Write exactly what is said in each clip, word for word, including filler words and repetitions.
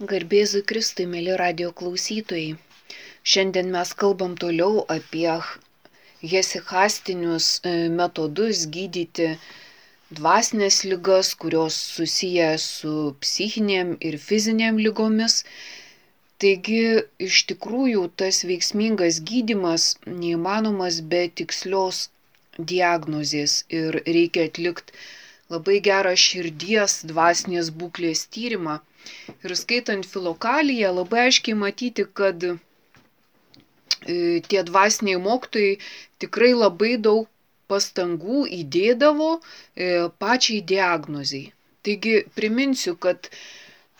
Garbėzui Kristui, mėly radijo klausytojai. Šiandien mes kalbam toliau apie hesichastinius metodus gydyti dvasinės ligas, kurios susiję su psichinėm ir fizinėm ligomis. Taigi, iš tikrųjų, tas veiksmingas gydymas neįmanomas be tikslios diagnozės ir reikia atlikti labai gerą širdies dvasinės būklės tyrimą. Ir skaitant Filokaliją labai aiškiai matyti, kad e, tie dvasiniai mokytojai tikrai labai daug pastangų įdėdavo e, pačiai diagnozei. Taigi priminsiu, kad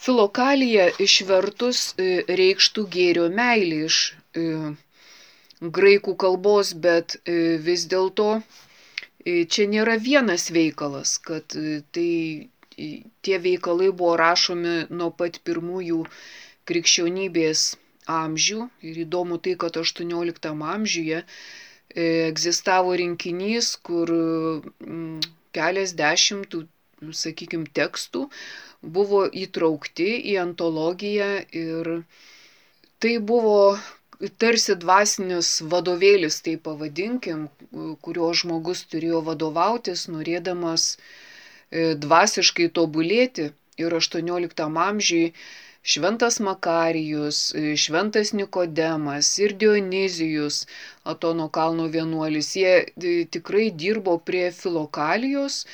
Filokalija išvertus e, reikštų gėrio meilė iš e, graikų kalbos, bet e, vis dėlto e, čia nėra vienas veikalas, kad e, tai tie veikalai buvo rašomi nuo pat pirmųjų krikščionybės amžių. Ir įdomu tai, kad aštuonioliktam amžiuje egzistavo rinkinys, kur keliasdešimt, sakykime, tekstų buvo įtraukti į antologiją ir tai buvo tarsi dvasinis vadovėlis, tai pavadinkim, kurio žmogus turėjo vadovautis, norėdamas dvasiškai tobulėti. Ir aštuonioliktam amžiui šventas Makarijus, šventas Nikodemas ir Dionizijus, Atono kalno vienuolis, jie tikrai dirbo prie Filokalijos,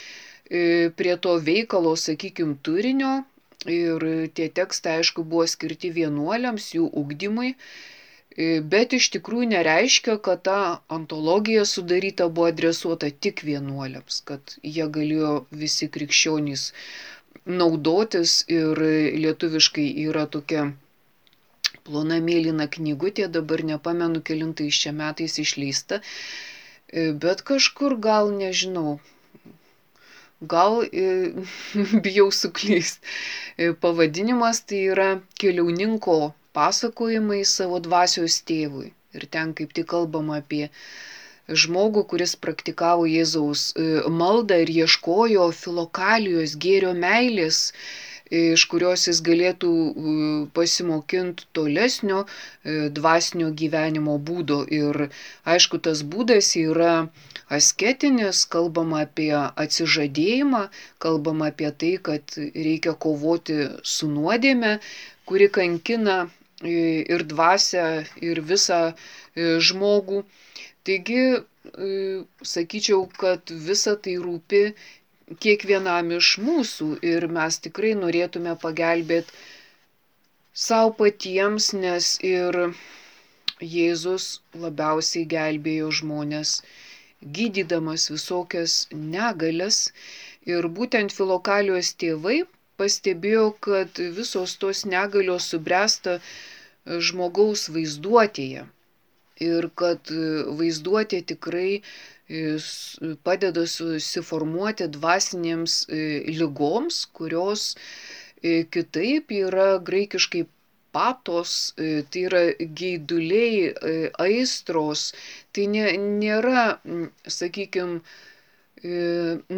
prie to veikalo, sakykime, turinio, ir tie tekstai, aišku, buvo skirti vienuoliams, jų ugdymui, bet iš tikrųjų nereiškia, kad ta antologija sudaryta buvo adresuota tik vienuoliams, kad jie galėjo visi krikščionys naudotis, ir lietuviškai yra tokia plona mėlyna knygutė, dabar nepamenu kelintais čia metais išleista, bet kažkur gal, nežinau, gal bijau suklyst. Pavadinimas tai yra Keliauninko pasakojimai savo dvasios tėvui. Ir ten kaip tik kalbama apie žmogų, kuris praktikavo Jėzaus maldą ir ieškojo Filokalijos gėrio meilės, iš kurios jis galėtų pasimokinti tolesnio dvasinio gyvenimo būdo. Ir aišku, tas būdas yra asketinis, kalbama apie atsižadėjimą, kalbama apie tai, kad reikia kovoti su nuodėme, kuri kankina ir dvasią, ir visą žmogų. Taigi, sakyčiau, kad visa tai rūpi kiekvienam iš mūsų ir mes tikrai norėtume pagelbėti savo patiems, nes ir Jėzus labiausiai gelbėjo žmones, gydydamas visokias negalias. Ir būtent Filokalijos tėvai pastebėjo, kad visos tos negalios subręsta žmogaus vaizduotėje ir kad vaizduotė tikrai padeda susiformuoti dvasinėms ligoms, kurios kitaip yra graikiškai patos, tai yra geiduliai, aistros, tai nėra, sakykime,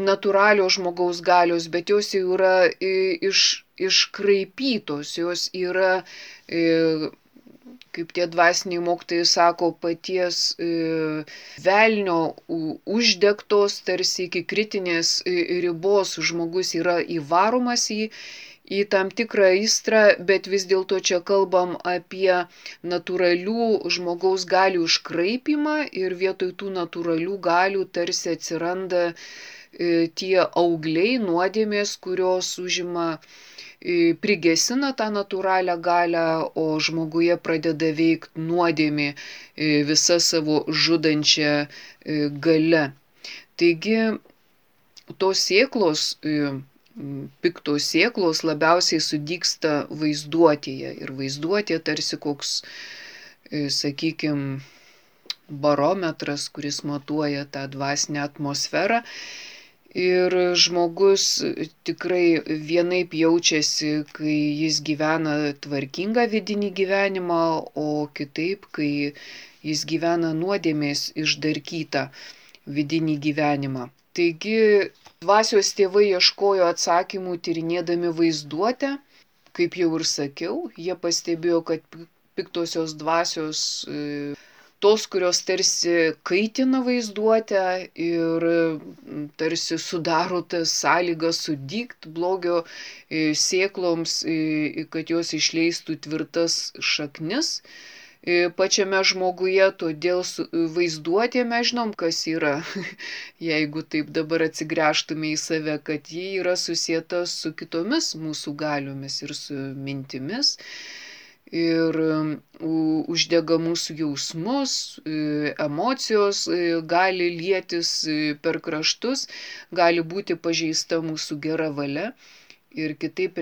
natūralios žmogaus galios, bet jos jau yra iš, iškraipytos, jos yra, kaip tie dvasiniai mokytojai sako, paties velnio uždegtos, tarsi iki kritinės ribos žmogus yra įvaromas į, į tam tikrą aistrą, bet vis dėlto čia kalbam apie natūralių žmogaus galių iškraipimą ir vietoj tų natūralių galių tarsi atsiranda tie augliai, nuodėmės, kurios užima, prigesina tą natūralią galią, o žmoguje pradeda veikti nuodėmė visa savo žudančia galia. Taigi, tos sėklos, piktos sėklos labiausiai sudygsta vaizduotėje. Ir vaizduotė tarsi koks, sakykime, barometras, kuris matuoja tą dvasinę atmosferą. Ir žmogus tikrai vienaip jaučiasi, kai jis gyvena tvarkingą vidinį gyvenimą, o kitaip, kai jis gyvena nuodėmės išdarkytą vidinį gyvenimą. Taigi, dvasios tėvai ieškojo atsakymų tyrinėdami vaizduotę, kaip jau ir sakiau, jie pastebėjo, kad piktosios dvasios, tos, kurios tarsi kaitina vaizduotę ir tarsi sudaro tas sąlygas sudygt blogio sėkloms, kad jos išleistų tvirtas šaknis pačiame žmoguje, todėl vaizduotė mes žinom, kas yra, jeigu taip dabar atsigręžtume į save, kad ji yra susieta su kitomis mūsų galiomis ir su mintimis ir uždega mūsų jausmus, emocijos gali lietis per kraštus, gali būti pažeista mūsų gera valia ir kitaip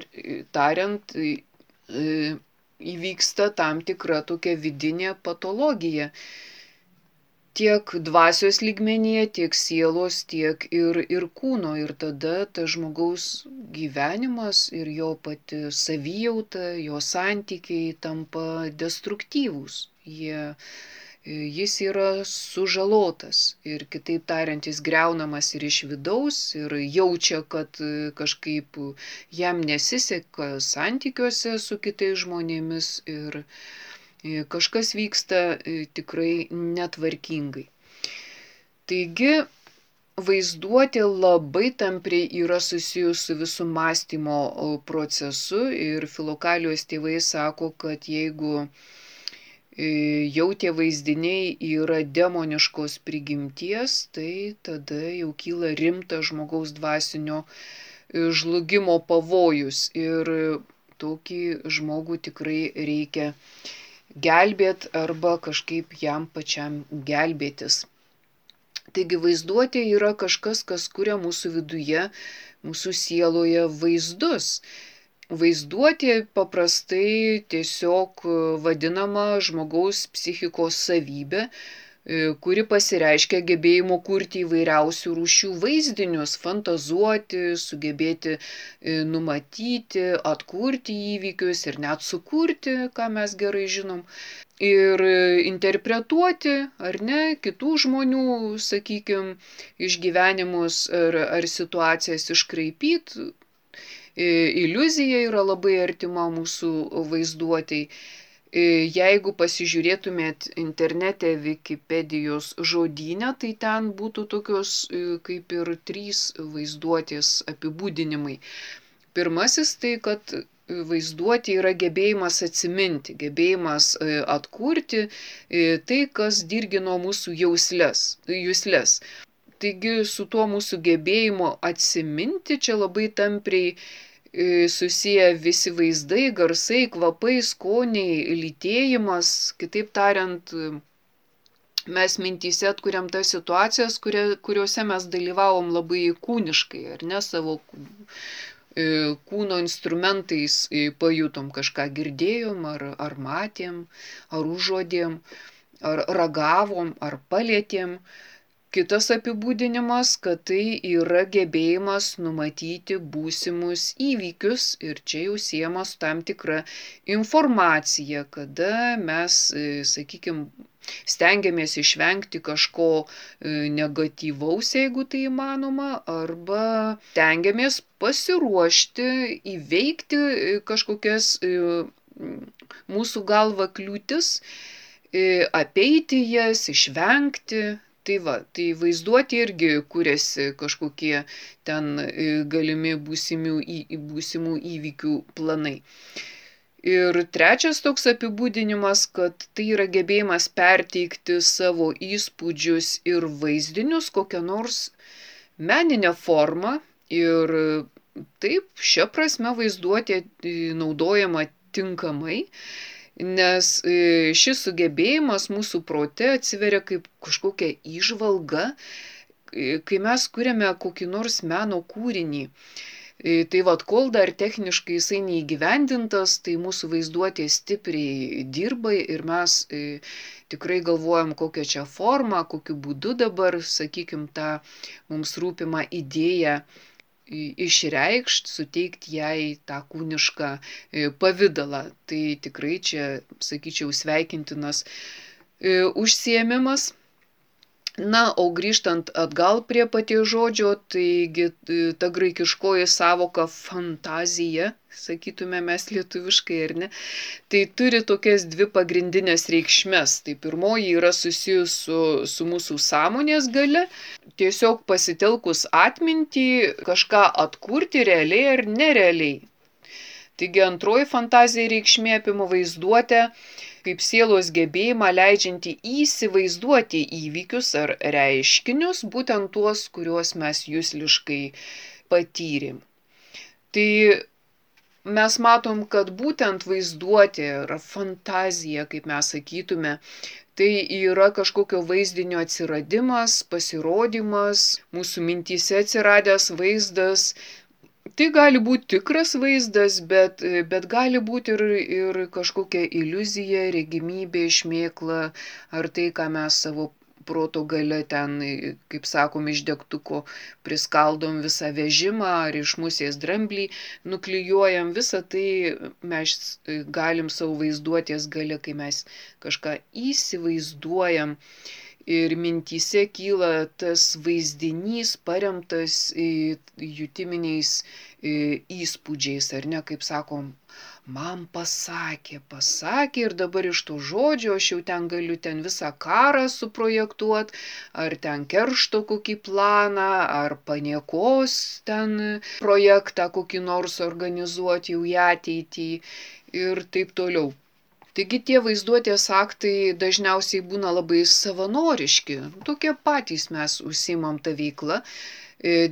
tariant, įvyksta tam tikra tokia vidinė patologija. Tiek dvasios lygmenyje, tiek sielos, tiek ir, ir kūno. Ir tada tas žmogaus gyvenimas ir jo pati savijauta, jo santykiai tampa destruktyvūs. Jie, jis yra sužalotas ir kitaip tariant, jis griaunamas ir iš vidaus ir jaučia, kad kažkaip jam nesiseka santykiuose su kitais žmonėmis ir kažkas vyksta tikrai netvarkingai. Taigi, vaizduotė labai tampriai yra susijus su visų mąstymo procesu ir Filokalijos tėvai sako, kad jeigu jau tie vaizdiniai yra demoniškos prigimties, tai tada jau kyla rimtas žmogaus dvasinio žlugimo pavojus ir tokį žmogų tikrai reikia gelbėti arba kažkaip jam pačiam gelbėtis. Taigi vaizduotė yra kažkas, kas kuria mūsų viduje, mūsų sieloje vaizdus. Vaizduotė paprastai tiesiog vadinama žmogaus psichikos savybė, kuri pasireiškia gebėjimu kurti įvairiausių rūšių vaizdinius, fantazuoti, sugebėti numatyti, atkurti įvykius ir net sukurti, ką mes gerai žinom, ir interpretuoti, ar ne, kitų žmonių, sakykime, išgyvenimus ar, ar situacijas iškraipyti. Iliuzija yra labai artima mūsų vaizduotei. Jeigu pasižiūrėtumėt internete Wikipedijos žodyne, tai ten būtų tokios kaip ir trys vaizduotės apibūdinimai. Pirmasis tai, kad vaizduotė yra gebėjimas atsiminti, gebėjimas atkurti tai, kas dirgino mūsų jausles, jusles. Taigi su tuo mūsų gebėjimu atsiminti čia labai tampriai susiję visi vaizdai, garsai, kvapai, skoniai, lytėjimas. Kitaip tariant, mes mintyse atkuriam tas situacijas, kurie, kuriuose mes dalyvavom labai kūniškai, ar ne, savo kūno instrumentais pajutom, kažką girdėjom, ar, ar matėm, ar užuodėm, ar ragavom, ar palėtėm. Kitas apibūdinimas, kad tai yra gebėjimas numatyti būsimus įvykius ir čia jau siejama su tam tikra informacija, kada mes, sakykime, stengiamės išvengti kažko negatyvaus, jeigu tai įmanoma, arba stengiamės pasiruošti, įveikti kažkokias mūsų galva kliūtis, apeiti jas, išvengti. Tai va, tai vaizduoti irgi kuriasi kažkokie ten galimi būsimų, būsimų įvykių planai. Ir trečias toks apibūdinimas, kad tai yra gebėjimas perteikti savo įspūdžius ir vaizdinius kokią nors meninę formą. Ir taip, šia prasme vaizduotė naudojama tinkamai. Nes šis sugebėjimas mūsų prote atsiveria kaip kažkokia įžvalga, kai mes kuriame kokį nors meno kūrinį. Tai vad, kol dar techniškai jisai neįgyvendintas, tai mūsų vaizduotė stipriai dirba ir mes tikrai galvojam, kokią čia formą, kokiu būdu dabar, sakykim, tą mums rūpimą idėją išreikšti, suteikti jai tą kūnišką pavidalą. Tai tikrai čia, sakyčiau, sveikintinas užsiėmimas. Na, o grįžtant atgal prie paties žodžio, taigi ta graikiškoji savoka fantazija, sakytume mes lietuviškai ar ne, tai turi tokias dvi pagrindinės reikšmes. Tai pirmoji yra susijus su, su mūsų sąmonės gale, tiesiog pasitelkus atmintį kažką atkurti realiai ar nerealiai. Taigi antroji fantazija reikšmė apima vaizduotę kaip sielos gebėjimą leidžiantį įsivaizduoti įvykius ar reiškinius, būtent tuos, kuriuos mes jusliškai patyrėm. Tai mes matom, kad būtent vaizduotė ar fantazija, kaip mes sakytume, tai yra kažkokio vaizdinio atsiradimas, pasirodymas, mūsų mintyse atsiradęs vaizdas. Tai gali būti tikras vaizdas, bet, bet gali būti ir, ir kažkokia iliuzija, regimybė, šmėkla, ar tai, ką mes savo proto gale ten, kaip sakom, iš degtuko priskaldom visą vežimą, ar iš musės dramblį nuklijuojam, visą tai mes galim savo vaizduotės gale, kai mes kažką įsivaizduojam. Ir mintyse kyla tas vaizdinys paremtas jutiminiais įspūdžiais, ar ne, kaip sakom, man pasakė, pasakė ir dabar iš to žodžio aš jau ten galiu ten visą karą suprojektuoti, ar ten keršto kokį planą, ar paniekos ten projektą kokį nors organizuoti jau į ateitį ir taip toliau. Taigi tie vaizduotės aktai dažniausiai būna labai savanoriški, tokie patys mes užsiimam tą veiklą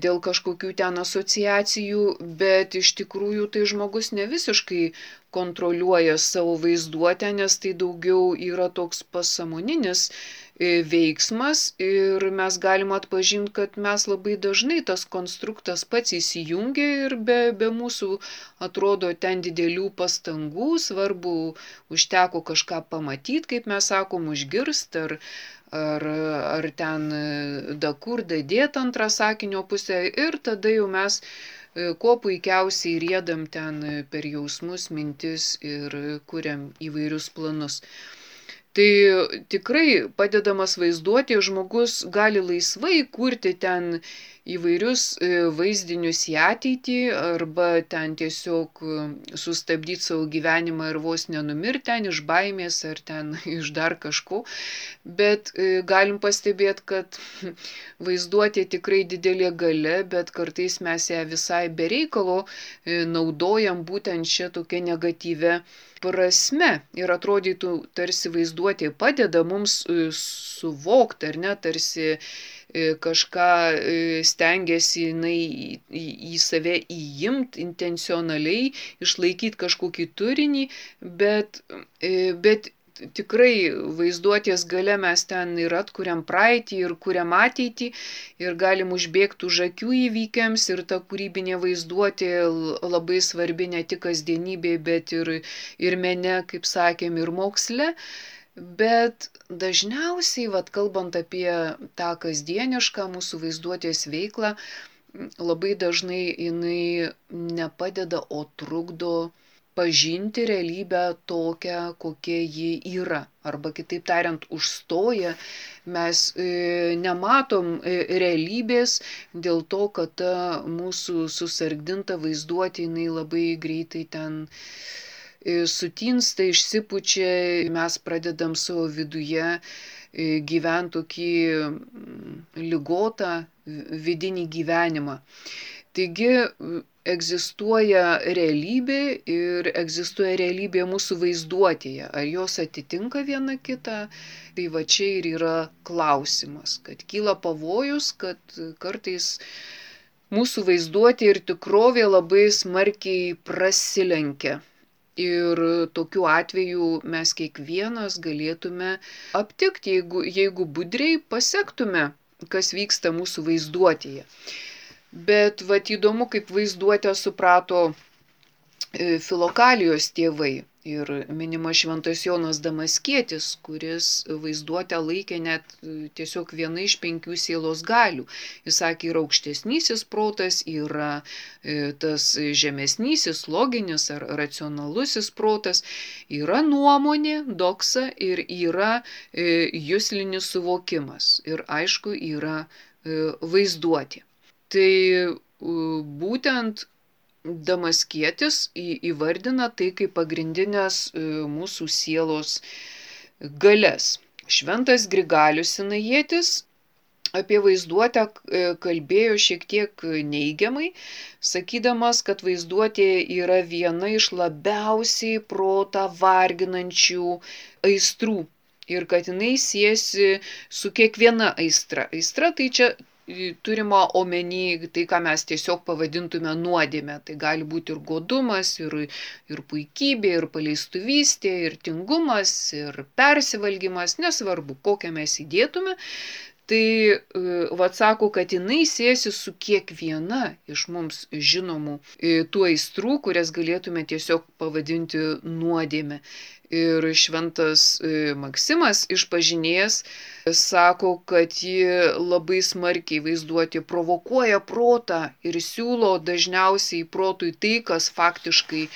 dėl kažkokių ten asociacijų, bet iš tikrųjų tai žmogus ne visiškai kontroliuoja savo vaizduotę, nes tai daugiau yra toks pasąmoninis veiksmas ir mes galim atpažinti, kad mes labai dažnai tas konstruktas pats įsijungia ir be, be mūsų atrodo ten didelių pastangų, svarbu užteko kažką pamatyti, kaip mes sakom, užgirst ar, ar, ar ten da kur dadėt antrą sakinio pusę ir tada jau mes kuo puikiausiai riedam ten per jausmus, mintis ir kuriam įvairius planus. Tai tikrai padedamas vaizduoti, žmogus gali laisvai kurti ten įvairius vaizdinius į ateitį arba ten tiesiog sustabdyti savo gyvenimą ir vos nenumirti ten iš baimės ar ten iš dar kažko. Bet galim pastebėti, kad vaizduotė tikrai didelė galia, bet kartais mes ją visai be reikalo naudojam būtent šią tokią negatyvę prasme ir atrodytų tarsi vaizduotė padeda mums suvokti, ar ne, tarsi kažką stengiasi jinai į, į save įimti intencionaliai, išlaikyti kažkokį turinį, bet, bet tikrai vaizduotės gale mes ten ir atkuriam praeitį, ir kuriam ateitį, ir galim užbėgti už akių įvykiams, ir ta kūrybinė vaizduotė labai svarbi ne tik kasdienybėje, bet ir, ir mene, kaip sakėm, ir moksle. Bet dažniausiai, vat, kalbant apie tą kasdienišką mūsų vaizduotės veiklą, labai dažnai jinai nepadeda, o trukdo pažinti realybę tokią, kokia ji yra. Arba kitaip tariant, užstoja, mes e, nematom e, realybės dėl to, kad ta mūsų susargdinta vaizduotė jinai labai greitai ten e, sutinsta, išsipučia, mes pradedam savo viduje e, gyventi tokį ligotą vidinį gyvenimą. Taigi, egzistuoja realybė ir egzistuoja realybė mūsų vaizduotėje. Ar jos atitinka viena kitą? Tai va čia ir yra klausimas, kad kyla pavojus, kad kartais mūsų vaizduotė ir tikrovė labai smarkiai prasilenkia. Ir tokiu atveju mes kiekvienas galėtume aptikti, jeigu, jeigu budriai pasektume, kas vyksta mūsų vaizduotėje. Bet vat įdomu, kaip vaizduotę suprato Filokalijos tėvai. Ir minimas šventas Jonas Damaskietis, kuris vaizduotę laikė net tiesiog viena iš penkių sielos galių. Jis sakė, yra aukštesnysis protas, yra tas žemesnysis, loginis ar racionalusis protas, yra nuomonė, doksa ir yra juslinis suvokimas. Ir aišku, yra vaizduotė. Tai būtent Damaskietis įvardina tai kaip pagrindinės mūsų sielos galias. Šventas Grigalius Sinajietis apie vaizduotę kalbėjo šiek tiek neigiamai, sakydamas, kad vaizduotė yra viena iš labiausiai protą varginančių aistrų ir kad jinai siejasi su kiekviena aistra. Aistra tai čia turima omeny tai, ką mes tiesiog pavadintume nuodėme. Tai gali būti ir godumas, ir, ir puikybė, ir paleistuvystė, ir tingumas, ir persivalgymas, nesvarbu, kokią mes įdėtume. Tai vat sako, kad jinai siejasi su kiekviena iš mums žinomų tų aistrų, kurias galėtume tiesiog pavadinti nuodėme. Ir šventas Maksimas išpažinėjas sako, kad ji labai smarkiai vaizduotė provokuoja protą ir siūlo dažniausiai protui tai, kas faktiškai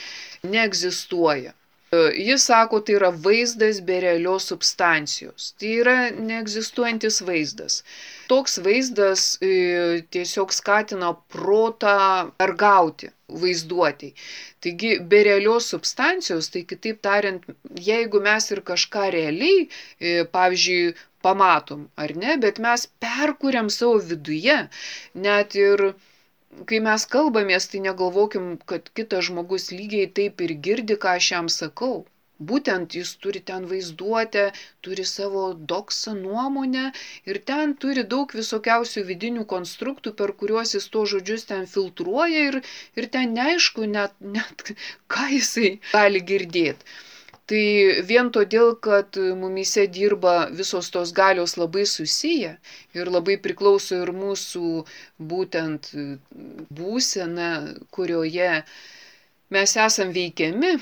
neegzistuoja. Jis sako, tai yra vaizdas be realios substancijos. Tai yra neegzistuojantis vaizdas. Toks vaizdas tiesiog skatina protą argauti vaizduotei. Taigi, be realios substancijos, tai kitaip tariant, jeigu mes ir kažką realiai, pavyzdžiui, pamatom, ar ne, bet mes perkuriam savo viduje, net ir kai mes kalbamės, tai negalvokim, kad kitas žmogus lygiai taip ir girdi, ką aš jam sakau. Būtent jis turi ten vaizduotę, turi savo doksą nuomonę ir ten turi daug visokiausių vidinių konstruktų, per kuriuos jis to žodžius ten filtruoja ir, ir ten neaišku net, net ką jisai gali girdėti. Tai vien todėl, kad mumyse dirba visos tos galios labai susiję ir labai priklauso ir mūsų būtent būsena, kurioje mes esam veikiami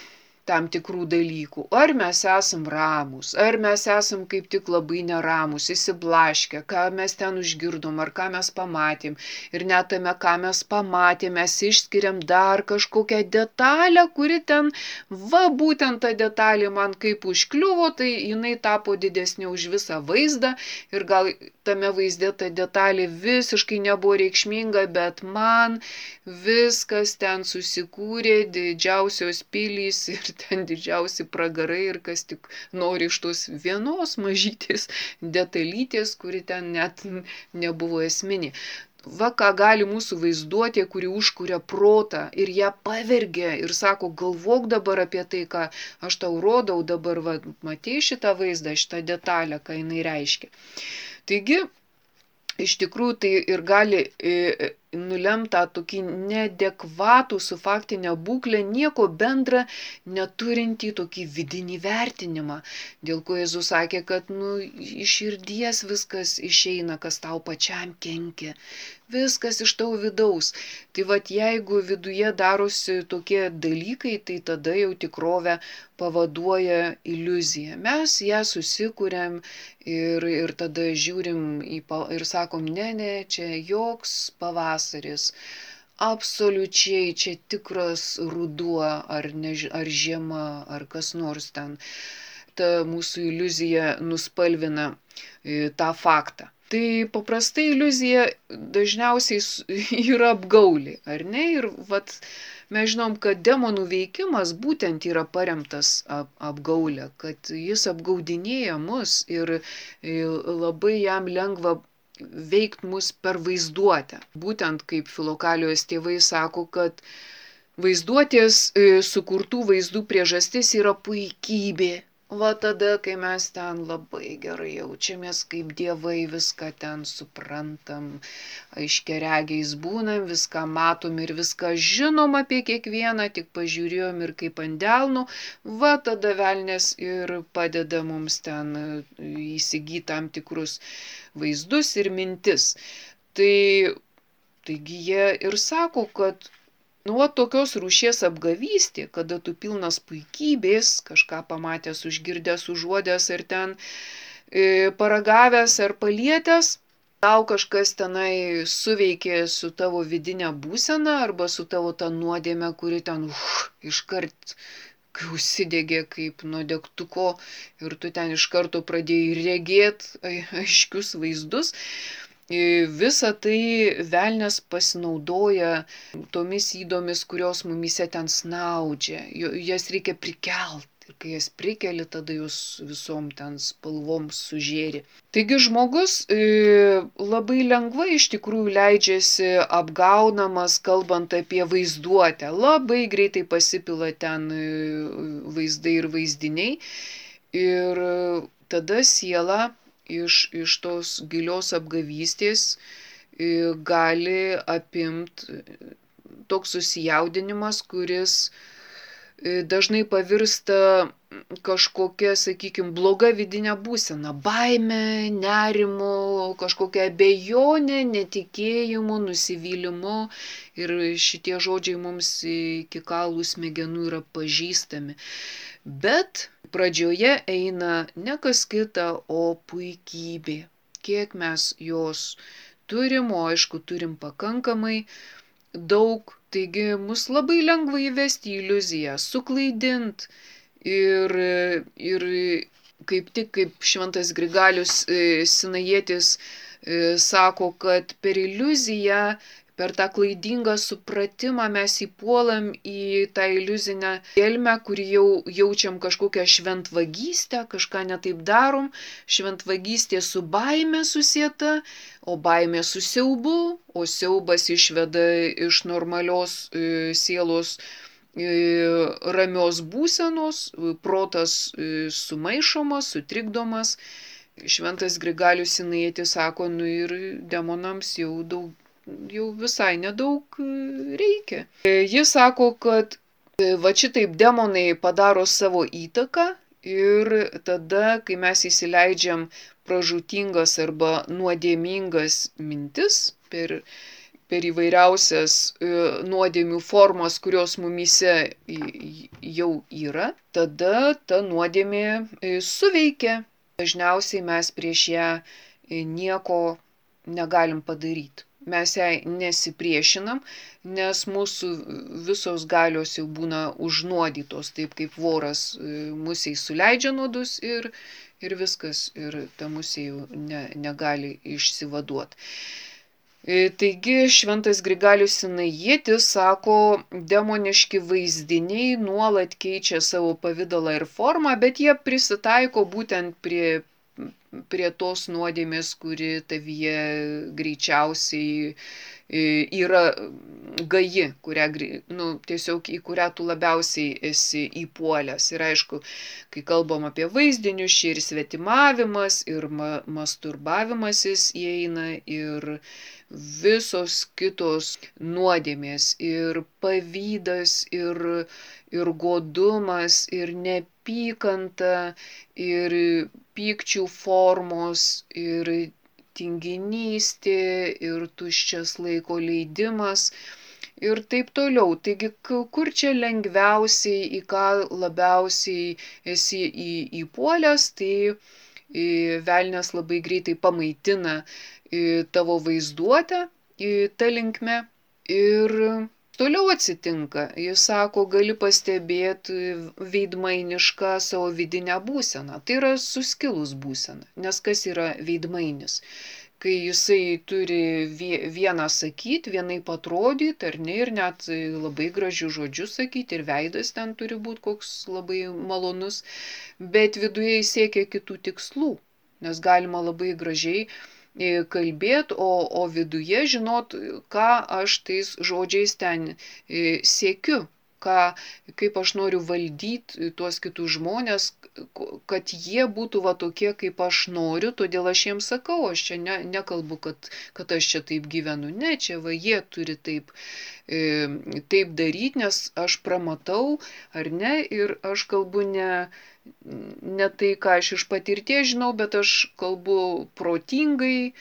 tam tikrų dalykų. Ar mes esam ramūs, ar mes esam kaip tik labai neramūs, įsiblaškę, ką mes ten užgirdom, ar ką mes pamatėm. Ir net tame, ką mes pamatėm, mes išskiriam dar kažkokią detalę, kuri ten, va, būtent ta detalė man kaip užkliuvo, tai jinai tapo didesnė už visą vaizdą ir gal tame vaizde ta detalė visiškai nebuvo reikšminga, bet man viskas ten susikūrė, didžiausios pilys ir ten didžiausi pragarai ir kas tik nori iš tos vienos mažytės detalytės, kuri ten net nebuvo esminė. Va, ką gali mūsų vaizduotė, kuri užkuria protą ir ją pavergia ir sako, galvok dabar apie tai, ką aš tau rodau, dabar va, matei šitą vaizdą, šitą detalę, ką jinai reiškia. Taigi, iš tikrųjų tai ir gali e, nulemta tokį neadekvatų su faktinė būklė, nieko bendra neturintį tokį vidinį vertinimą, dėl ko Jėzus sakė, kad nu, iš širdies viskas išeina, kas tau pačiam kenkia. Viskas iš tavo vidaus. Tai vat jeigu viduje darosi tokie dalykai, tai tada jau tikrovę pavaduoja iliuzija. Mes ją susikuriam ir, ir tada žiūrim į, ir sakom, ne, ne, čia joks pavasaris. Absoliučiai čia tikras ruduo ar, ne, ar žiema ar kas nors ten. Ta mūsų iliuzija nuspalvina e, tą faktą. Tai paprastai iliuzija dažniausiai yra apgaulė, ar ne? Ir vat, mes žinom, kad demonų veikimas būtent yra paremtas ap, apgaulė, kad jis apgaudinėja mus ir labai jam lengva veikti mus per vaizduotę. Būtent kaip Filokalijos tėvai sako, kad vaizduotės sukurtų vaizdų priežastis yra puikybė. Va tada, kai mes ten labai gerai jaučiamės, kaip dievai viską ten suprantam, aiškiaregiais būnam, viską matom ir viską žinom apie kiekvieną, tik pažiūrėjom ir kaip ant delnų, va tada velnės ir padeda mums ten įsigyti tam tikrus vaizdus ir mintis. Tai, taigi jie ir sako, kad Nu, o tokios rūšies apgavystė, kada tu pilnas puikybės, kažką pamatęs, užgirdęs, užuodęs ar ten e, paragavęs ar palietęs, tau kažkas tenai suveikė su tavo vidinė būsena arba su tavo ta nuodėme, kuri ten uf, iškart užsidegė kaip nuo degtuko ir tu ten iš karto pradėjai regėti aiškius vaizdus. Visa tai velnias pasinaudoja tomis ydomis, kurios mumise ten snaudžia. Jas reikia prikelt. Ir kai jas prikeli, tada jūs visom ten spalvom sužėri. Taigi žmogus e, labai lengvai iš tikrųjų leidžiasi apgaunamas, kalbant apie vaizduotę. Labai greitai pasipila ten e, vaizdai ir vaizdiniai. Ir tada siela iš, iš tos gilios apgavystės e, gali apimti toks susijaudinimas, kuris dažnai pavirsta kažkokia, sakykime, bloga vidinė būsena, baime, nerimu, kažkokia abejonė, netikėjimu, nusivylimu ir šitie žodžiai mums iki kaulų smegenų yra pažįstami. Bet pradžioje eina ne kas kita, o puikybė. Kiek mes jos turim, o aišku, turim pakankamai daug. Taigi mus labai lengva įvesti į iliuziją, suklaidint ir, ir kaip tik kaip šventas Grigalius Sinajietis sako, kad per iliuziją, per tą klaidingą supratimą mes įpuolam į tą iliuzinę gelmę, kur jau jaučiam kažkokią šventvagystę, kažką netaip darom, šventvagystė su baime susieta, o baimė su siaubu, o siaubas išveda iš normalios e, sielos e, ramios būsenos, protas e, sumaišomas, sutrikdomas. Šventas Grigalius Sinajietis sako, nu ir demonams jau, daug, jau visai nedaug reikia. Jis sako, kad va šitaip demonai padaro savo įtaką ir tada, kai mes įsileidžiam pražūtingas arba nuodėmingas mintis per, per įvairiausias e, nuodėmių formas, kurios mumyse jau yra, tada ta nuodėmė e, suveikia. Dažniausiai mes prieš ją e, nieko negalim padaryti. Mes jai nesipriešinam, nes mūsų visos galios jau būna užnuodytos, taip kaip voras e, musiai suleidžia nuodus ir Ir viskas, ir ta musė jau ne, negali išsivaduoti. Taigi šventas Grigalius Sinajietis sako, demoniški vaizdiniai nuolat keičia savo pavidalą ir formą, bet jie prisitaiko būtent prie, prie tos nuodėmės, kuri tavyje greičiausiai yra gaji, kurią, nu, tiesiog į kurią tu labiausiai esi įpuolęs. Ir aišku, kai kalbam apie vaizdinius, čia ir svetimavimas, ir ma masturbavimasis įeina, ir visos kitos nuodėmės, ir pavydas, ir, ir godumas, ir neapykanta, ir pykčių formos, ir tinginystė ir tuščias laiko leidimas ir taip toliau. Taigi, kur čia lengviausiai, į ką labiausiai esi įpuolęs, tai velnias labai greitai pamaitina tavo vaizduotę tą linkme ir toliau atsitinka. Jis sako, gali pastebėti veidmainišką savo vidinę būseną. Tai yra suskilus būsena. Nes kas yra veidmainis? Kai jisai turi vieną sakyti, vienaip atrodyti, ar ne, ir net labai gražių žodžių sakyti, ir veidas ten turi būti koks labai malonus, bet viduje jis siekia kitų tikslų, nes galima labai gražiai kalbėti, o, o viduje žinot, ką aš tais žodžiais ten siekiu. ką, kaip aš noriu valdyti tuos kitus žmonės, kad jie būtų va tokie, kaip aš noriu, todėl aš jiems sakau, aš čia ne, nekalbu, kad, kad aš čia taip gyvenu, ne, čia va jie turi taip, e, taip daryti, nes aš pramatau, ar ne, ir aš kalbu ne, ne tai, ką aš iš patirties žinau, bet aš kalbu protingai,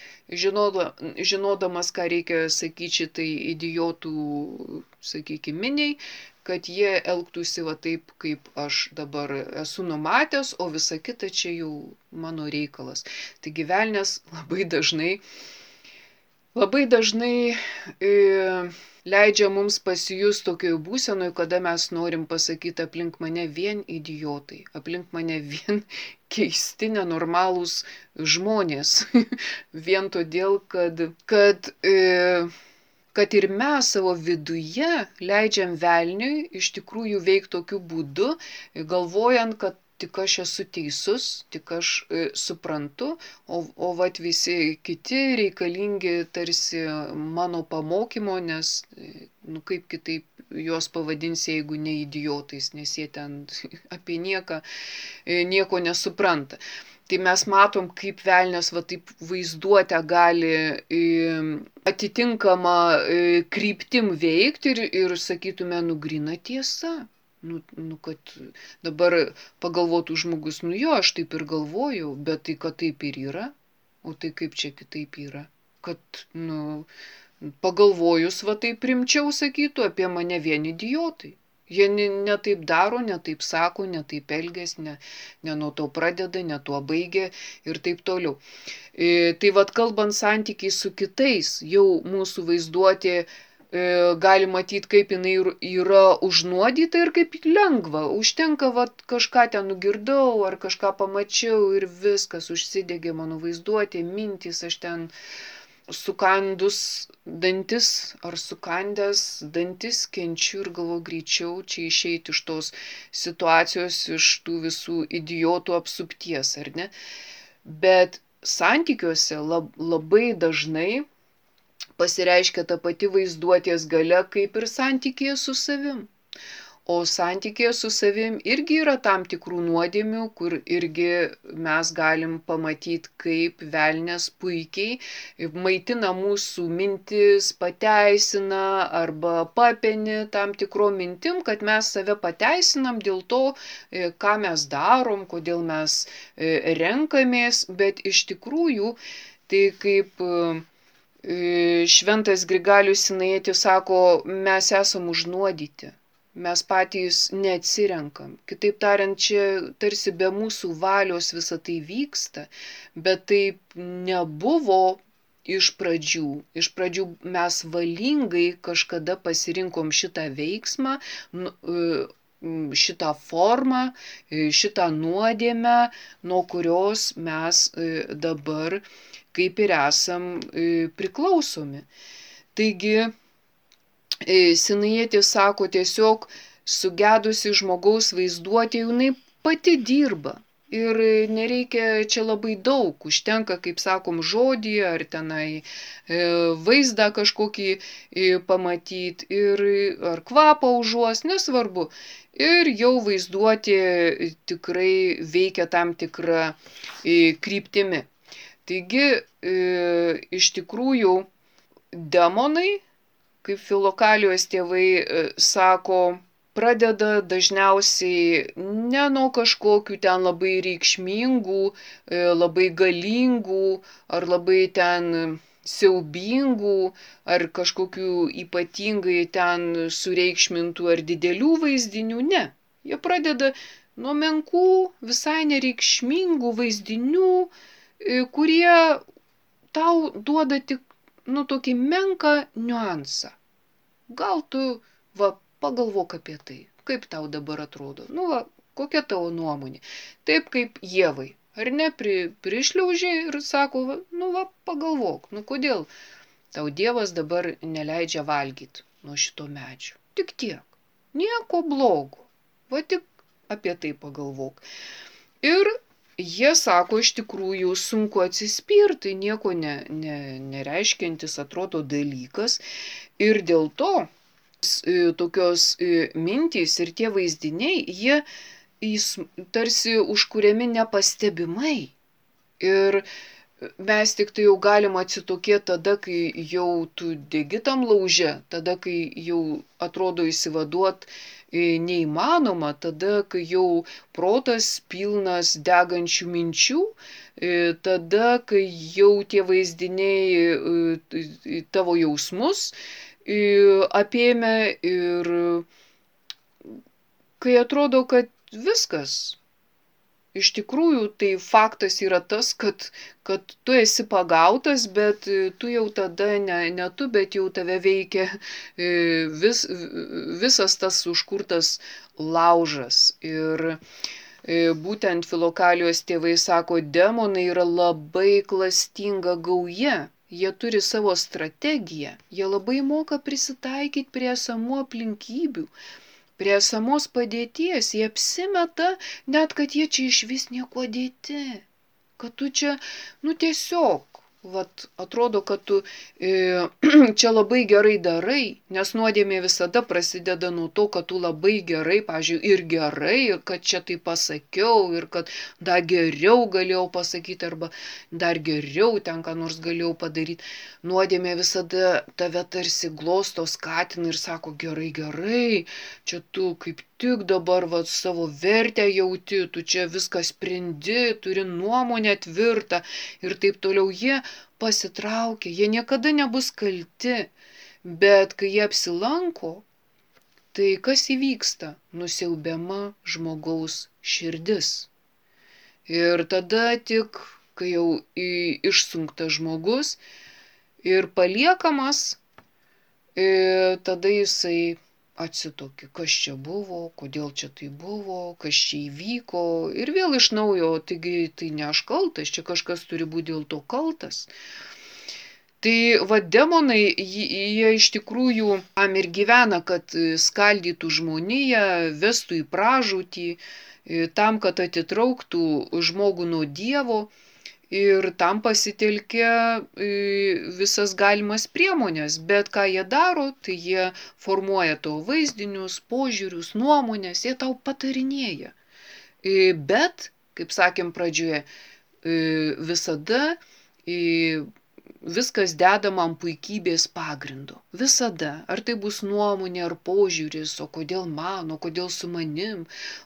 žinoda, žinodamas, ką reikia sakyti šitai idiotų, sakykime, miniai, kad jie elgtųsi va taip, kaip aš dabar esu numatęs, o visa kita čia jau mano reikalas. Taigi velnias labai dažnai, labai dažnai e, leidžia mums pasijus tokioje būsenoje, kada mes norim pasakyti aplink mane vien idiotai, aplink mane vien keisti, nenormalūs žmonės. Vien todėl, kad, kad, e, kad ir mes savo viduje leidžiam velniui iš tikrųjų veikti tokiu būdu, galvojant, kad tik aš esu teisus, tik aš e, suprantu, o, o vat visi kiti reikalingi tarsi mano pamokymo, nes, nu kaip kitaip juos pavadinsi, jeigu ne idiotais, nes jie ten apie nieką, e, nieko nesupranta. Tai mes matom, kaip velnias va taip vaizduotę gali e, atitinkamą e, kryptim veikti ir, ir sakytume, nu gryna tiesa. Nu, nu, kad dabar pagalvotų žmogus, nu jo, aš taip ir galvojau, bet tai, kad taip ir yra, o tai kaip čia kitaip yra, kad, nu, pagalvojus, va taip rimčiau sakytų apie mane vien idiotai. Jie ne, ne taip daro, ne taip sako, ne taip elgės, ne, ne nuo to pradeda, ne tuo baigia ir taip toliau. E, tai vad kalbant santykiai su kitais, jau mūsų vaizduotė gali matyti, kaip jinai yra užnuodyta ir kaip lengva. Užtenka vat, kažką ten nugirdau ar kažką pamačiau ir viskas užsidegė mano vaizduotė, mintys, aš ten sukandus dantis ar sukandęs dantis kenčiu ir galvoju greičiau čia išeiti iš tos situacijos, iš tų visų idiotų apsupties, ar ne? Bet santykiuose lab, labai dažnai pasireiškia ta pati vaizduotės galia kaip ir santykėje su savim. O santykėje su savim irgi yra tam tikrų nuodėmių, kur irgi mes galim pamatyti, kaip velnias puikiai maitina mūsų mintis, pateisina arba papeni tam tikro mintim, kad mes save pateisinam dėl to, ką mes darom, kodėl mes renkamės, bet iš tikrųjų tai kaip Šventas Grigalius Sinaitis sako, mes esam užnuodyti, mes patys neatsirenkam. Kitaip tariant, čia tarsi be mūsų valios visa tai vyksta, bet taip nebuvo iš pradžių. Iš pradžių mes valingai kažkada pasirinkom šitą veiksmą, šitą formą, šitą nuodėmę, nuo kurios mes dabar kaip ir esam priklausomi. Taigi, Sinaitis sako, tiesiog sugedusi žmogaus vaizduotė, jinai pati dirba. Ir nereikia čia labai daug, užtenka, kaip sakom, žodį ar tenai vaizdą kažkokį pamatyti ir ar kvapą užuos, nesvarbu. Ir jau vaizduotė tikrai veikia tam tikrą kryptimi. Taigi, e, iš tikrųjų, demonai, kaip Filokalijos tėvai e, sako, pradeda dažniausiai ne nuo kažkokių ten labai reikšmingų, e, labai galingų ar labai ten siaubingų ar kažkokių ypatingai ten sureikšmintų ar didelių vaizdinių, ne. Jie pradeda nuo menkų, visai nereikšmingų vaizdinių, kurie tau duoda tik, nu, tokį menką niuansą. Gal tu, va, pagalvok apie tai, kaip tau dabar atrodo, nu, va, kokia tavo nuomonė. Taip kaip Ievai, ar ne, pri, prišliaužė ir sako, va, nu, va, pagalvok, nu, kodėl tau Dievas dabar neleidžia valgyti nuo šito medžio. Tik tiek, nieko blogo, va, tik apie tai pagalvok. Ir jie sako, iš tikrųjų sunku atsispirti, nieko ne, ne, nereiškiantis atrodo dalykas ir dėl to tokios mintys ir tie vaizdiniai, jie jis tarsi užkuriami nepastebimai. Ir mes tik tai jau galim atsitokėti tada, kai jau tu degi tam lauže, tada, kai jau atrodo įsivaduot neįmanoma, tada, kai jau protas pilnas degančių minčių, tada, kai jau tie vaizdiniai tavo jausmus apėmė ir kai atrodo, kad viskas. Iš tikrųjų, tai faktas yra tas, kad, kad tu esi pagautas, bet tu jau tada, ne, ne tu, bet jau tave veikia vis, visas tas užkurtas laužas. Ir būtent Filokalijos tėvai sako, demonai yra labai klastinga gauja. Jie turi savo strategiją, jie labai moka prisitaikyti prie esamų aplinkybių. Prie esamos padėties, jie apsimeta, net kad jie čia išvis nieko dėti. Kad tu čia, nu tiesiog, vat, atrodo, kad tu e, čia labai gerai darai, nes nuodėmė visada prasideda nuo to, kad tu labai gerai, pavyzdžiui, ir gerai, ir kad čia tai pasakiau, ir kad dar geriau galėjau pasakyti, arba dar geriau ten ką nors galėjau padaryti. Nuodėmė visada tave tarsi glosto, skatina ir sako, gerai, gerai, čia tu kaip tik dabar va, savo vertę jauti, tu čia viską sprendi, turi nuomonę tvirtą ir taip toliau. Jie pasitraukia, jie niekada nebus kalti, bet kai jie apsilanko, tai kas įvyksta? Nusiaubiama žmogaus širdis. Ir tada tik, kai jau išsunktas žmogus ir paliekamas, tada jisai atsitokė, kas čia buvo, kodėl čia tai buvo, kas čia įvyko ir vėl iš naujo, taigi tai ne aš kaltas, čia kažkas turi būti dėl to kaltas. Tai va demonai, jie iš tikrųjų tam ir gyvena, kad skaldytų žmoniją, vestų į pražūtį, tam, kad atitrauktų žmogų nuo Dievo. Ir tam pasitelkia visas galimas priemonės, bet ką jie daro, tai jie formuoja tavo vaizdinius, požiūrius, nuomonės, jie tau patarinėja. Bet, kaip sakėm pradžioje, visada viskas dedama ant puikybės pagrindo. Visada. Ar tai bus nuomonė, ar požiūris, o kodėl man, o kodėl su manim,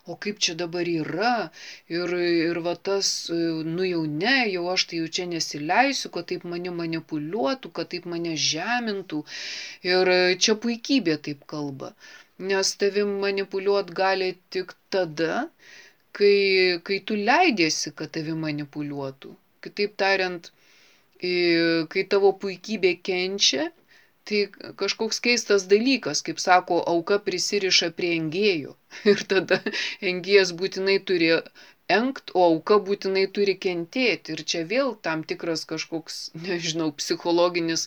o kaip čia dabar yra. Ir, ir va tas, nu jau ne, jau aš tai jau čia nesileisiu, kad taip mane manipuliuotų, kad taip mane žemintų. Ir čia puikybė taip kalba. Nes tavim manipuliuot gali tik tada, kai, kai tu leidiesi, kad tavim manipuliuotų. Kitaip tariant, kai tavo puikybė kenčia, tai kažkoks keistas dalykas, kaip sako, auka prisiriša prie engėjo. Ir tada engėjas būtinai turi engt, o auka būtinai turi kentėti. Ir čia vėl tam tikras kažkoks, nežinau, psichologinis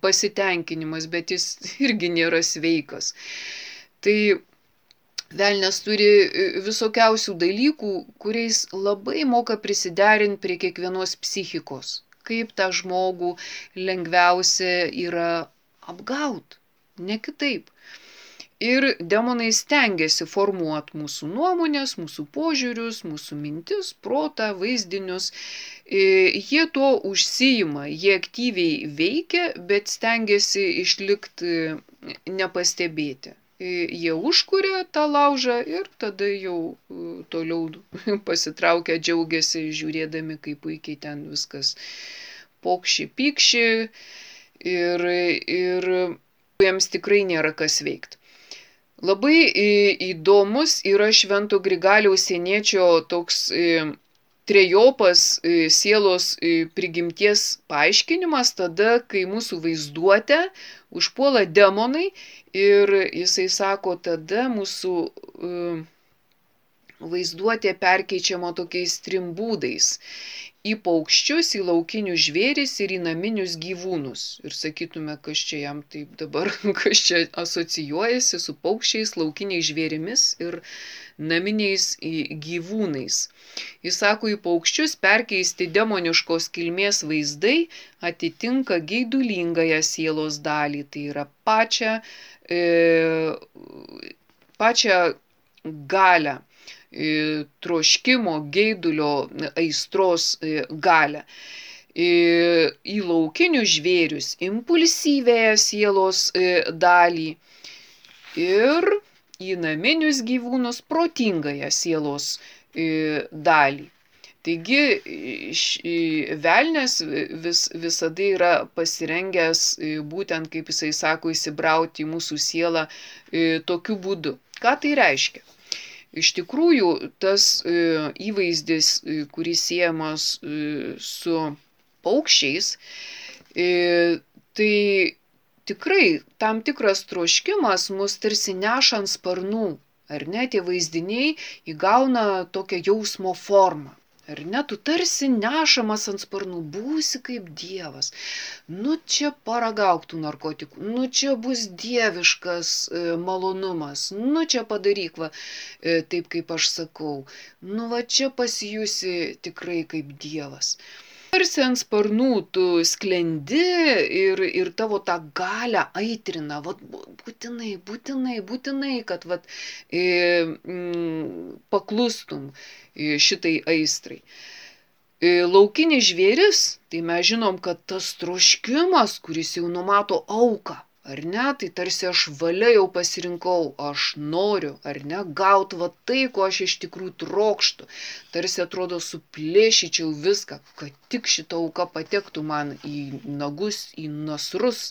pasitenkinimas, bet jis irgi nėra sveikas. Tai velnias turi visokiausių dalykų, kuriais labai moka prisiderinti prie kiekvienos psichikos. Kaip tą žmogų lengviausia yra apgaut, ne kitaip. Ir demonai stengiasi formuoti mūsų nuomonės, mūsų požiūrius, mūsų mintis, protą, vaizdinius. Jie tuo užsiima, jie aktyviai veikia, bet stengiasi išlikti nepastebėti. Jie užkuria tą laužą ir tada jau toliau pasitraukia, džiaugiasi, žiūrėdami, kaip puikiai ten viskas pokši, pykši ir, ir jiems tikrai nėra kas veikti. Labai įdomus yra Švento Grigaliaus Sieniečio toks trejopas sielos prigimties paaiškinimas tada, kai mūsų vaizduotę užpuola demonai ir jisai sako, tada mūsų vaizduotė perkeičiama tokiais trim būdais. Į paukščius, į laukinius žvėris ir į naminius gyvūnus. Ir sakytume, kas čia jam taip dabar, kas čia asocijuojasi su paukščiais, laukiniais žvėrimis ir naminiais gyvūnais. Jis sako, į paukščius perkeisti demoniškos kilmės vaizdai atitinka geidulingąją sielos dalį. Tai yra pačią, e, pačią galią. Troškimo, geidulio, aistros galią. Į laukinius žvėrius impulsyvėją sielos dalį ir į naminius gyvūnus protingąją sielos dalį. Taigi velnias vis, visada yra pasirengęs, būtent kaip jisai sako, įsibrauti į mūsų sielą tokiu būdu. Ką tai reiškia? Iš tikrųjų, tas įvaizdis, kuris siejamas su paukščiais, tai tikrai tam tikras troškimas mus tarsi neša ant sparnų, ar ne, tie vaizdiniai įgauna tokią jausmo formą. Ar ne, tu tarsi nešamas ant sparnų, būsi kaip Dievas. Nu čia paragauk tų narkotikų, nu čia bus dieviškas e, malonumas, nu čia padaryk va, e, taip kaip aš sakau, nu va čia pasijusi tikrai kaip Dievas. Tarsi ant sparnų tu sklendi ir, ir tavo tą galią aitrina, vat, būtinai, būtinai, būtinai, kad vat, e, m, paklustum šitai aistrai. E, laukinis žvėris, tai mes žinom, kad tas troškimas, kuris jau numato auką, ar ne, tai tarsi aš valia jau pasirinkau, aš noriu, ar ne, gauti va tai, ko aš iš tikrųjų trokštu. Tarsi atrodo suplėšyčiau viską, kad tik šita auka patektų man į nagus, į nasrus.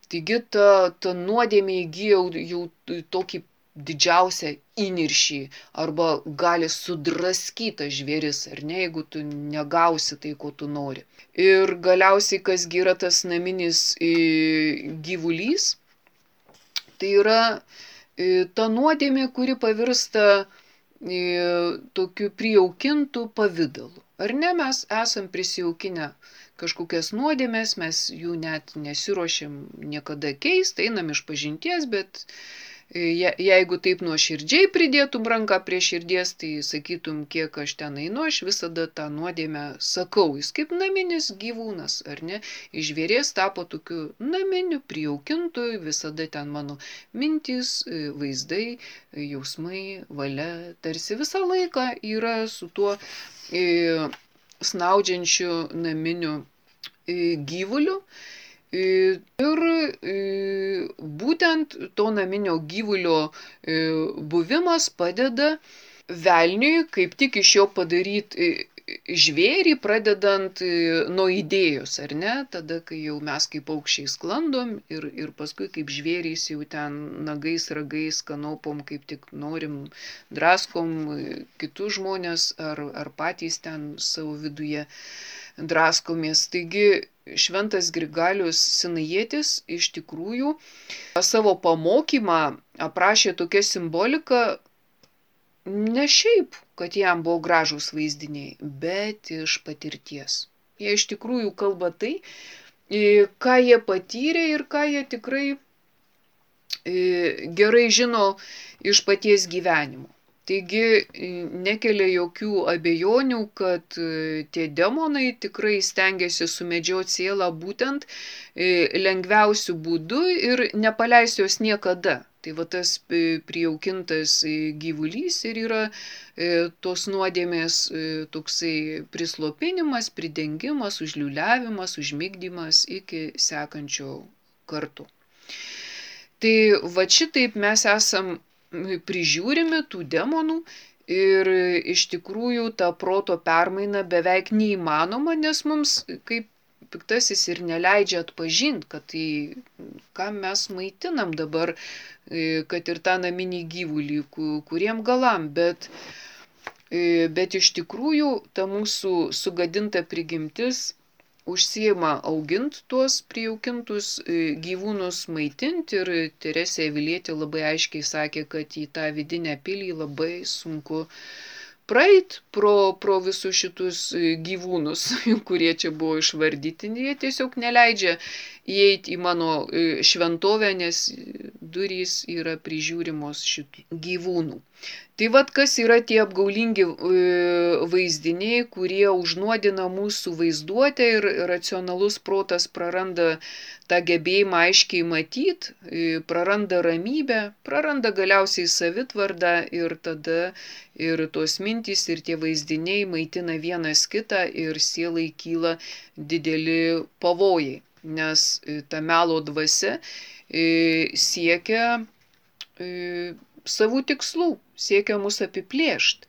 Taigi ta, ta nuodėmė įgyja jau, jau tokį didžiausią įniršį arba gali sudraskyti žvėris, ar ne, jeigu tu negausi tai, ko tu nori. Ir galiausiai, kas yra tas naminis gyvulys, tai yra ta nuodėmė, kuri pavirsta tokiu prijaukintų pavidalu. Ar ne, mes esam prisijaukinę kažkokias nuodėmės, mes jų net nesiruošiam niekada keisti, einam iš pažinties, bet Je, jeigu taip nuoširdžiai pridėtum ranką prie širdies, tai sakytum, kiek aš ten einu, aš visada tą nuodėmę sakau. Jis kaip naminis gyvūnas, ar ne? Iš žvėries tapo tokiu naminiu, prijaukintu, visada ten mano mintys, vaizdai, jausmai, valia, tarsi visą laiką yra su tuo e, snaudžiančiu naminiu e, gyvuliu. Ir būtent to naminio gyvulio buvimas padeda velniui kaip tik iš jo padaryti žvėrį, pradedant nuo idėjos, ar ne? Tada, kai jau mes kaip paukščiai sklandom ir, ir paskui kaip žvėrys jau ten nagais, ragais, kanopom, kaip tik norim, draskom kitus žmonės ar, ar patys ten savo viduje draskomės. Taigi, Šventas Grigalius Sinajietis iš tikrųjų savo pamokymą aprašė tokią simboliką ne šiaip, kad jam buvo gražūs vaizdiniai, bet iš patirties. Jie iš tikrųjų kalba tai, ką jie patyrė ir ką jie tikrai gerai žino iš paties gyvenimo. Taigi nekelia jokių abejonių, kad tie demonai tikrai stengiasi sumedžioti sielą būtent lengviausių būdų ir nepaleis jos niekada. Tai va tas prijaukintas gyvulys ir yra tos nuodėmės toksai prislopinimas, pridengimas, užliuliavimas, užmigdymas iki sekančio karto. Tai va šitaip mes esam prižiūrimi tų demonų ir iš tikrųjų ta proto permaina beveik neįmanoma, nes mums kaip piktasis ir neleidžia atpažinti, kad tai, ką mes maitinam dabar, kad ir tą naminį gyvulį, kuriem galam, bet, bet iš tikrųjų ta mūsų sugadinta prigimtis užsiima augint tuos prijaukintus gyvūnus, maitinti ir Teresė Avilietė labai aiškiai sakė, kad į tą vidinę pilį labai sunku praeit pro, pro visus šitus gyvūnus, kurie čia buvo išvardyti. Jie tiesiog neleidžia įeiti į mano šventovę, nes durys yra prižiūrimos šitų gyvūnų. Tai vad, kas yra tie apgaulingi vaizdiniai, kurie užnuodina mūsų vaizduotę ir racionalus protas praranda tą gebėjimą aiškiai matyti, praranda ramybę, praranda galiausiai savitvardą ir tada ir tos mintys ir tie vaizdiniai maitina vienas kitą ir sielai kyla dideli pavojai, nes ta melo dvasia siekia savų tikslų, siekia mus apiplėšti.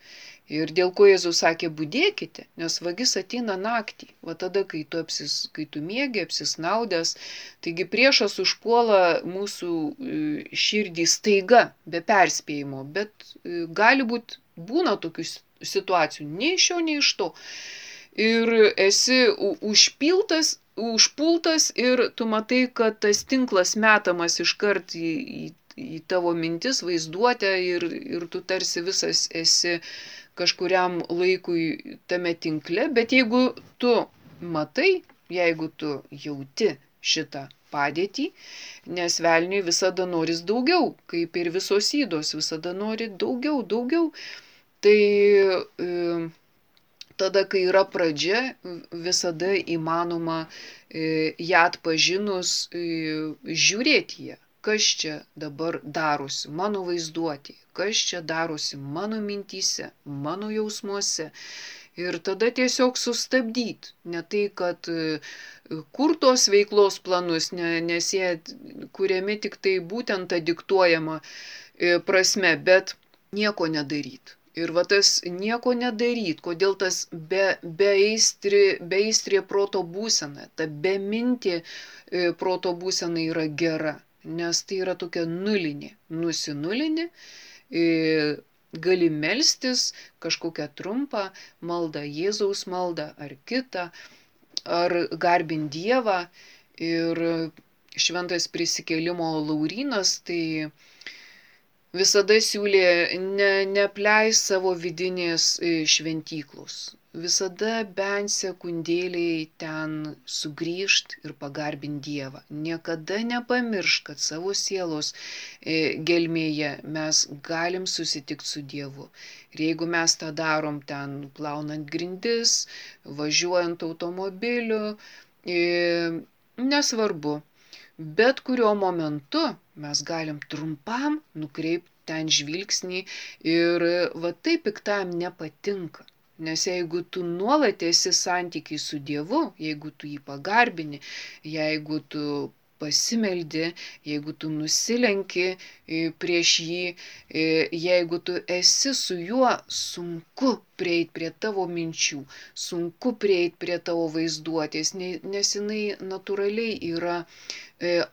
Ir dėl ko Jėzus sakė, budėkite, nes vagis ateina naktį, va tada, kai tu, apsis, kai tu miegi, apsisnaudęs. Taigi priešas užpuola mūsų širdį staiga, be perspėjimo, bet gali būti, būna tokių situacijų, nei iš šio, nei iš to. Ir esi užpiltas, užpultas ir tu matai, kad tas tinklas metamas iškart į, į į tavo mintis, vaizduotę ir, ir tu tarsi visas esi kažkuriam laikui tame tinkle, bet jeigu tu matai, jeigu tu jauti šitą padėtį, nes velniui visada noris daugiau, kaip ir visos ydos, visada nori daugiau, daugiau, tai e, tada, kai yra pradžia, visada įmanoma e, ją atpažinus e, žiūrėti ją. Kas čia dabar darosi mano vaizduotėje, kas čia darosi mano mintyse, mano jausmuose. Ir tada tiesiog sustabdyti. Ne tai, kad kur tos veiklos planus, ne, nes jie kuriami tik tai būtent tą diktuojamą prasme, bet nieko nedaryti. Ir va tas nieko nedaryt, kodėl tas be, beaistri, beaistrė proto būsena, ta bemintė proto būsena yra gera. Nes tai yra tokia nulinė, nusinulinė, gali melstis kažkokią trumpą maldą, Jėzaus maldą ar kitą, ar garbint Dievą. Ir šventas prisikėlimo Laurynas tai visada siūlė ne, neapleis savo vidinės šventyklos. Visada bent sekundėliai ten sugrįžt ir pagarbint Dievą. Niekada nepamiršk, kad savo sielos gelmėje mes galim susitikti su Dievu. Ir jeigu mes tą darom ten plaunant grindis, važiuojant automobiliu, nesvarbu, bet kuriuo momentu mes galim trumpam nukreipti ten žvilgsnį ir va taip piktam nepatinka. Nes jeigu tu nuolat esi santykiai su Dievu, jeigu tu jį pagarbini, jeigu tu pasimeldi, jeigu tu nusilenki prieš jį, jeigu tu esi su juo, sunku prieiti prie tavo minčių, sunku prieiti prie tavo vaizduotės, nes jinai natūraliai yra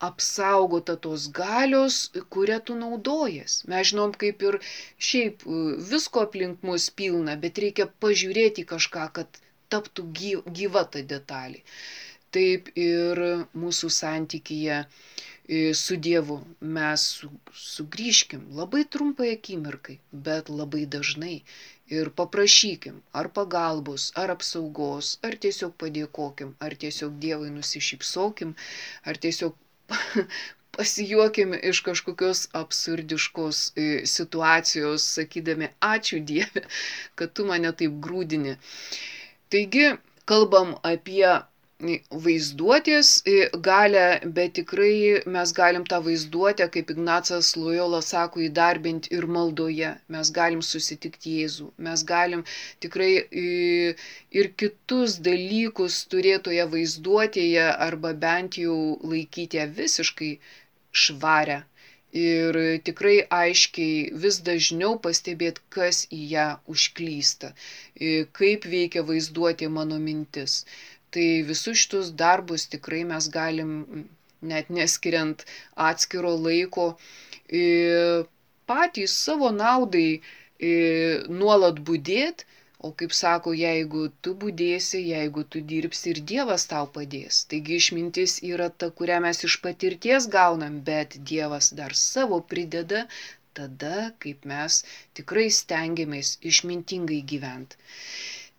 apsaugota tos galios, kurią tu naudojas. Mes žinom, kaip ir šiaip visko aplink mus pilna, bet reikia pažiūrėti kažką, kad taptų gyva ta detalė. Taip ir mūsų santykyje su Dievu mes sugrįžkim labai trumpai akimirkai, bet labai dažnai ir paprašykim ar pagalbos, ar apsaugos, ar tiesiog padėkokim, ar tiesiog Dievui nusišypsokim, ar tiesiog pasijuokim iš kažkokios absurdiškos situacijos, sakydami ačiū Dieve, kad tu mane taip grūdini. Taigi, kalbam apie vaizduotės galę, bet tikrai mes galim tą vaizduotę, kaip Ignacas Lojola sako, įdarbinti ir maldoje. Mes galim susitikti Jėzų. Mes galim tikrai ir kitus dalykus turėtoje vaizduotėje arba bent jau laikyti ją visiškai švarę. Ir tikrai aiškiai vis dažniau pastebėti, kas į ją užklysta, kaip veikia vaizduotė mano mintis. Tai visus šitus darbus tikrai mes galim, net neskiriant atskiro laiko, patys savo naudai nuolat budėti, O kaip sako, jeigu tu budėsi, jeigu tu dirbsi, ir Dievas tau padės. Taigi išmintis yra ta, kurią mes iš patirties gaunam, bet Dievas dar savo prideda tada, kaip mes tikrai stengiamės išmintingai gyventi.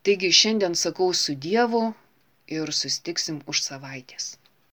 Taigi šiandien sakau su Dievu ir susitiksim už savaitės.